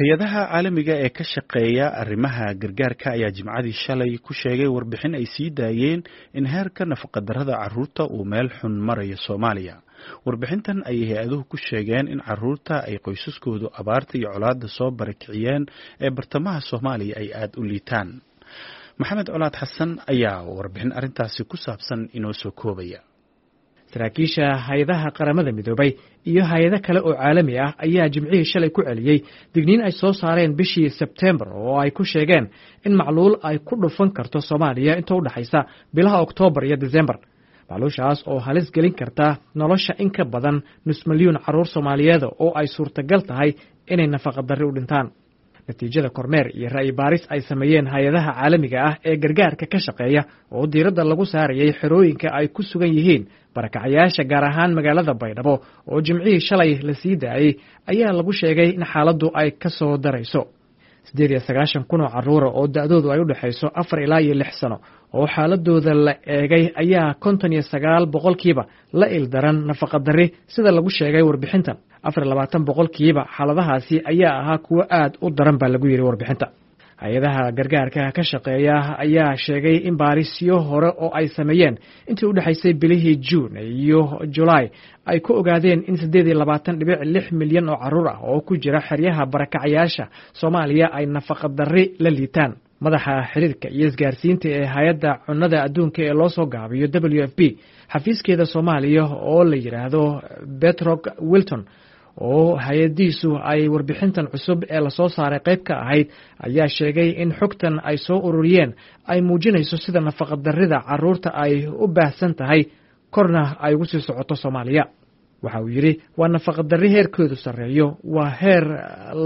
Hay-adaha caalamiga ee ka shaqeeya arrimaha gargaarka ayaa Jimcadii shalay ku sheegay warbixin ay sii daayeen in heerka nafaqadarrada carruurta uu meel xun marayo Soomaaliya. Warbixintan ayay hay-aduhu ku sheegeen in carruurta ay qoysaskoodu abaarta iyo colaadda soo barakiciyeen ee bartamaha Soomaaliya ay aada u liitaan. Maxamed Colaad Xasan ayaa warbixin arrintaasi ku saabsan inoo soo koobaya. Saraakiisha hay-adaha Qaramada Midoobay iyo hay-ado kale oo caalami ah ayaa Jimcihii shalay ku celiyey digniin ay soo saareen bishii Sebteembar oo ay ku sheegeen in macluul ay ku dhufan karto Soomaaliya inta u dhexaysa bilaha Oktoobar iyo Disembar, macluushaas oo halis gelin karta nolosha in ka badan nus milyuun carruur Soomaaliyeed oo ay suurtagal tahay inay nafaqadarri u dhintaan. Natiijada kormeer iyo ra'yi baaris ay sameeyeen hay-adaha caalamiga ah ee gargaarka ka shaqeeya oo diiradda lagu saarayay xerooyinka ay ku sugan yihiin barakacayaasha, gaar ahaan magaalada Baydhabo, oo Jimcihii shalay la sii daayey, ayaa lagu sheegay in xaaladdu ay ka soo darayso. 98,000 oo carruura oo da'doodu ay u dhexayso 4 ilaa iyo 6 sano oo xaaladooda la eegay ayaa 59% la ildaran nafaqadarri, sida lagu sheegay warbixintan. 24% xaaladahaasi ayaa ahaa kuwo aad u daran, baa lagu yidhi warbixinta. Hay-adaha gargaarka ka shaqeeya ayaa sheegay in baarisyo hore oo ay sameeyeen intii u dhexaysay bilihii Juun iyo Julaay ay ku ogaadeen in 28.6 milyan oo carruur ah oo ku jira xeryaha barakacayaasha Soomaaliya ay nafaqadarri la liitaan. Madaxa xiriirka iyo isgaarsiinta ee Hay-adda Cunnada Adduunka ee loo soo gaabiyo WFP xafiiskeeda Soomaaliya oo la yidhaahdo Petroc Wilton, oo hay-adiisu ay warbixintan cusub ee lasoo saaray qayb ka ahayd, ayaa sheegay in xogtan ay soo ururiyeen ay muujinayso sida nafaqadarrida carruurta ay u baahsan tahay, korna ay ugu sii socoto Soomaaliya. Waxa uu yidhi: "Waa nafaqadarri heerkeedu sarreeyo, waa heer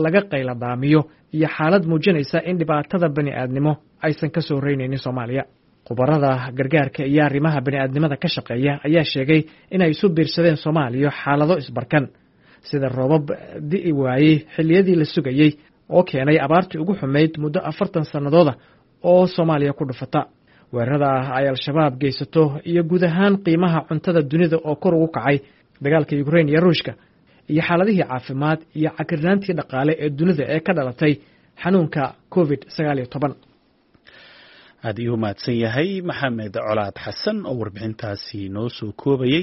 laga qayladhaamiyo iyo xaalad muujinaysa in dhibaatada bani aadnimo aysan ka soo reynaynin Soomaaliya." Khubarada gargaarka iyo arrimaha bani aadnimada ka shaqeeya ayaa sheegay inay isu biirsadeen Soomaaliya xaalado isbarkan, sida roobab di'i waayey xilliyadii la sugayey oo keenay abaartii ugu xumayd muddo 40 sannadooda oo Soomaaliya ku dhufata, weerarada ay Al-Shabaab geysato, iyo guud ahaan qiimaha cuntada dunida oo kor ugu kacay, dagaalka Ukrain iyo Ruushka, iyo xaaladihii caafimaad iyo cakirnaantii dhaqaale ee dunida ee ka dhalatay xanuunka COVID-19. Aad iyuu mahadsan yahay Maxamed Colaad Xasan oo warbixintaasi noo soo koobayey.